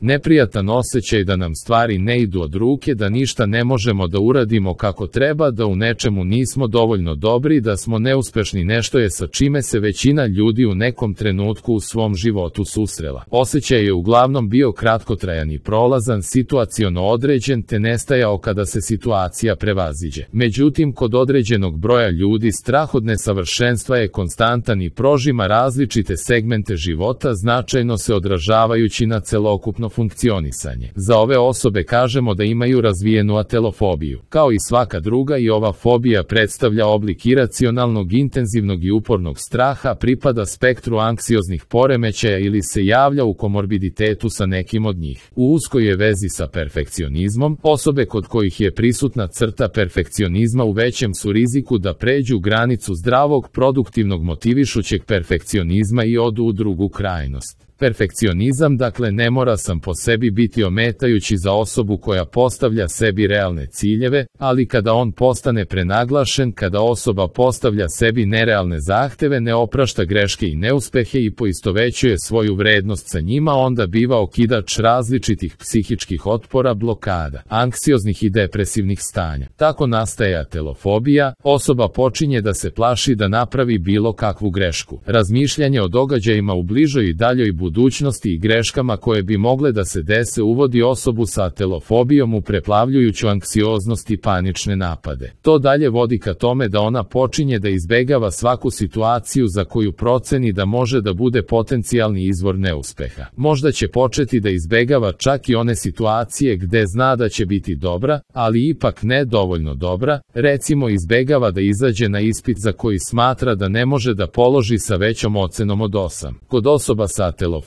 Neprijatan osjećaj da nam stvari ne idu od ruke, da ništa ne možemo da uradimo kako treba, da u nečemu nismo dovoljno dobri, da smo neuspešni, nešto je sa čime se većina ljudi u nekom trenutku u svom životu susrela. Osjećaj je uglavnom bio kratkotrajan i prolazan, situaciono određen, te nestajao kada se situacija prevaziđe. Međutim, kod određenog broja ljudi strah od nesavršenstva je konstantan i prožima različite segmente života, značajno se odražavajući na celokupno funkcionisanje. Za ove osobe kažemo da imaju razvijenu atelofobiju. Kao i svaka druga, i ova fobija predstavlja oblik iracionalnog, intenzivnog i upornog straha, pripada spektru anksioznih poremećaja ili se javlja u komorbiditetu sa nekim od njih. U uskoj je vezi sa perfekcionizmom. Osobe kod kojih je prisutna crta perfekcionizma u većem su riziku da pređu granicu zdravog, produktivnog, motivišućeg perfekcionizma i odu u drugu krajnost. Perfekcionizam, dakle, ne mora sam po sebi biti ometajući za osobu koja postavlja sebi realne ciljeve, ali kada on postane prenaglašen, kada osoba postavlja sebi nerealne zahteve, ne oprašta greške i neuspehe i poistovećuje svoju vrednost sa njima, onda biva okidač različitih psihičkih otpora, blokada, anksioznih i depresivnih stanja. Tako nastaje atelofobija, osoba počinje da se plaši da napravi bilo kakvu grešku. Razmišljanje o događajima u bližoj i daljoj budućnosti i greškama koje bi mogle da se dese uvodi osobu sa atelofobijom u preplavljujuću anksioznost i panične napade. To dalje vodi ka tome da ona počinje da izbegava svaku situaciju za koju proceni da može da bude potencijalni izvor neuspeha. Možda će početi da izbegava čak i one situacije gde zna da će biti dobra, ali ipak ne dovoljno dobra, recimo izbegava da izađe na ispit za koji smatra da ne može da položi sa većom ocenom od 8. Kod osoba sa atelofobijom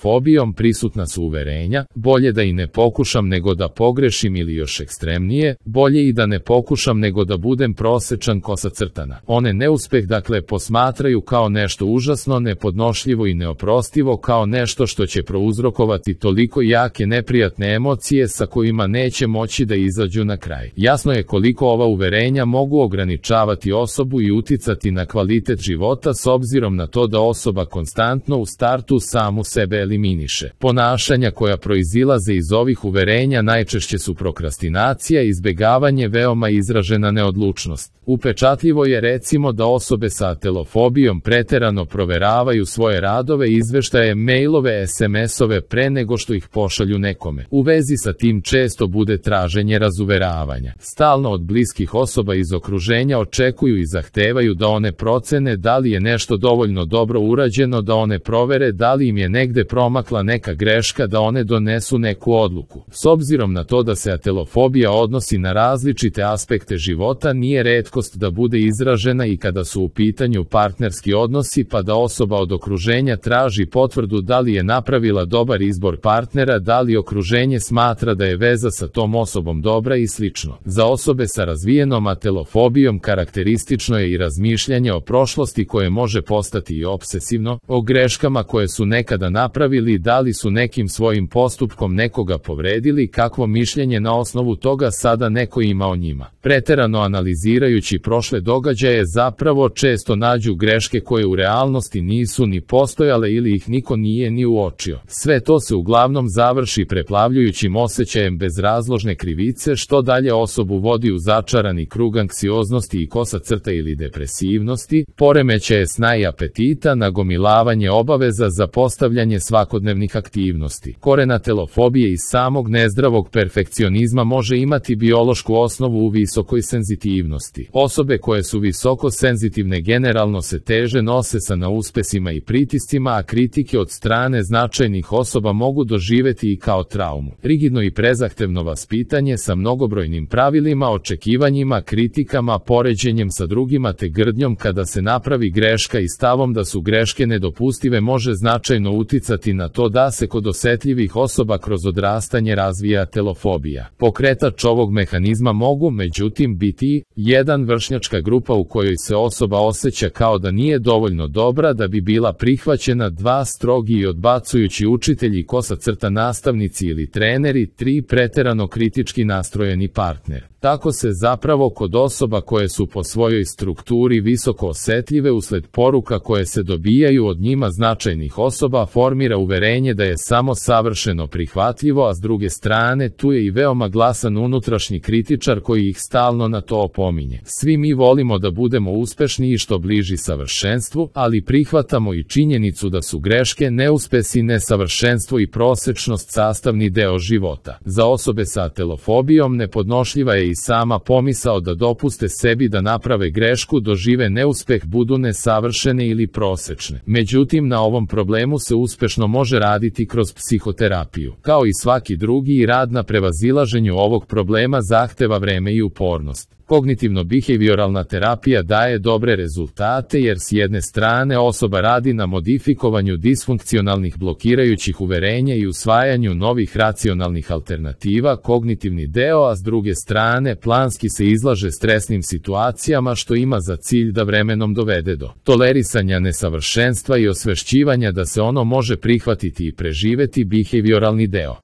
prisutna su uverenja, bolje da i ne pokušam nego da pogrešim, ili još ekstremnije, bolje i da ne pokušam nego da budem prosečan kosa crtana. One neuspeh, dakle, posmatraju kao nešto užasno, nepodnošljivo i neoprostivo, kao nešto što će prouzrokovati toliko jake neprijatne emocije sa kojima neće moći da izađu na kraj. Jasno je koliko ova uverenja mogu ograničavati osobu i uticati na kvalitet života s obzirom na to da osoba konstantno u startu samu sebe eliminiše. Ponašanja koja proizilaze iz ovih uverenja najčešće su prokrastinacija, izbegavanje, veoma izražena neodlučnost. Upečatljivo je recimo da osobe sa atelofobijom preterano proveravaju svoje radove, izveštaje, mailove, SMS-ove pre nego što ih pošalju nekome. U vezi sa tim često bude traženje razuveravanja. Stalno od bliskih osoba iz okruženja očekuju i zahtevaju da one procene da li je nešto dovoljno dobro urađeno, da one provere da li im je negde promakla neka greška, da one donesu neku odluku. S obzirom na to da se atelofobija odnosi na različite aspekte života, nije retkost da bude izražena i kada su u pitanju partnerski odnosi, pa da osoba od okruženja traži potvrdu da li je napravila dobar izbor partnera, da li okruženje smatra da je veza sa tom osobom dobra i slično. Za osobe sa razvijenom atelofobijom karakteristično je i razmišljanje o prošlosti koje može postati i obsesivno, o greškama koje su nekada napravili, da li su nekim svojim postupkom nekoga povredili, kakvo mišljenje na osnovu toga sada neko ima o njima. Preterano analizirajući prošle događaje zapravo često nađu greške koje u realnosti nisu ni postojale ili ih niko nije ni uočio. Sve to se uglavnom završi preplavljujućim osjećajem bezrazložne krivice, što dalje osobu vodi u začarani krug anksioznosti i kosa crta ili depresivnosti, poremećaje sna i apetita, nagomilavanje obaveza za postavljanje svakodnevnih aktivnosti. Koren atelofobije iz samog nezdravog perfekcionizma može imati biološku osnovu u visokoj senzitivnosti. Osobe koje su visoko senzitivne generalno se teže nose sa neuspesima i pritiscima, a kritike od strane značajnih osoba mogu doživeti i kao traumu. Rigidno i prezahtevno vaspitanje sa mnogobrojnim pravilima, očekivanjima, kritikama, poređenjem sa drugima te grdnjom kada se napravi greška i stavom da su greške nedopustive može značajno uticati na to da se kod osetljivih osoba kroz odrastanje razvija atelofobija. Pokretač ovog mehanizma mogu, međutim, biti 1. vršnjačka grupa u kojoj se osoba osjeća kao da nije dovoljno dobra da bi bila prihvaćena, 2. strogi i odbacujući učitelji, kosa crta nastavnici ili treneri, 3. preterano kritički nastrojeni partner. Tako se zapravo kod osoba koje su po svojoj strukturi visoko osetljive usled poruka koje se dobijaju od njima značajnih osoba formira uverenje da je samo savršeno prihvatljivo, a s druge strane tu je i veoma glasan unutrašnji kritičar koji ih stalno na to opominje. Svi mi volimo da budemo uspešni i što bliži savršenstvu, ali prihvatamo i činjenicu da su greške, neuspesi, nesavršenstvo i prosečnost sastavni deo života. Za osobe sa atelofobijom nepodnošljiva je i sama pomisao da dopuste sebi da naprave grešku, dožive neuspeh, budu nesavršene ili prosečne. Međutim, na ovom problemu se uspešno može raditi kroz psihoterapiju. Kao i svaki drugi, i rad na prevazilaženju ovog problema zahteva vreme i upornost. Kognitivno-behavioralna terapija daje dobre rezultate jer s jedne strane osoba radi na modifikovanju disfunkcionalnih blokirajućih uverenja i usvajanju novih racionalnih alternativa, kognitivni deo, a s druge strane planski se izlaže stresnim situacijama što ima za cilj da vremenom dovede do tolerisanja nesavršenstva i osvešćivanja da se ono može prihvatiti i preživeti, behavioralni deo.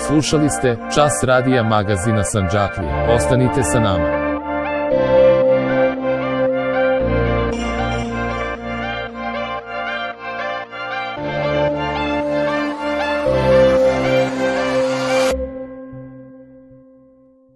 Slušali ste Čas radija magazina Sandžaklija. Ostanite sa nama.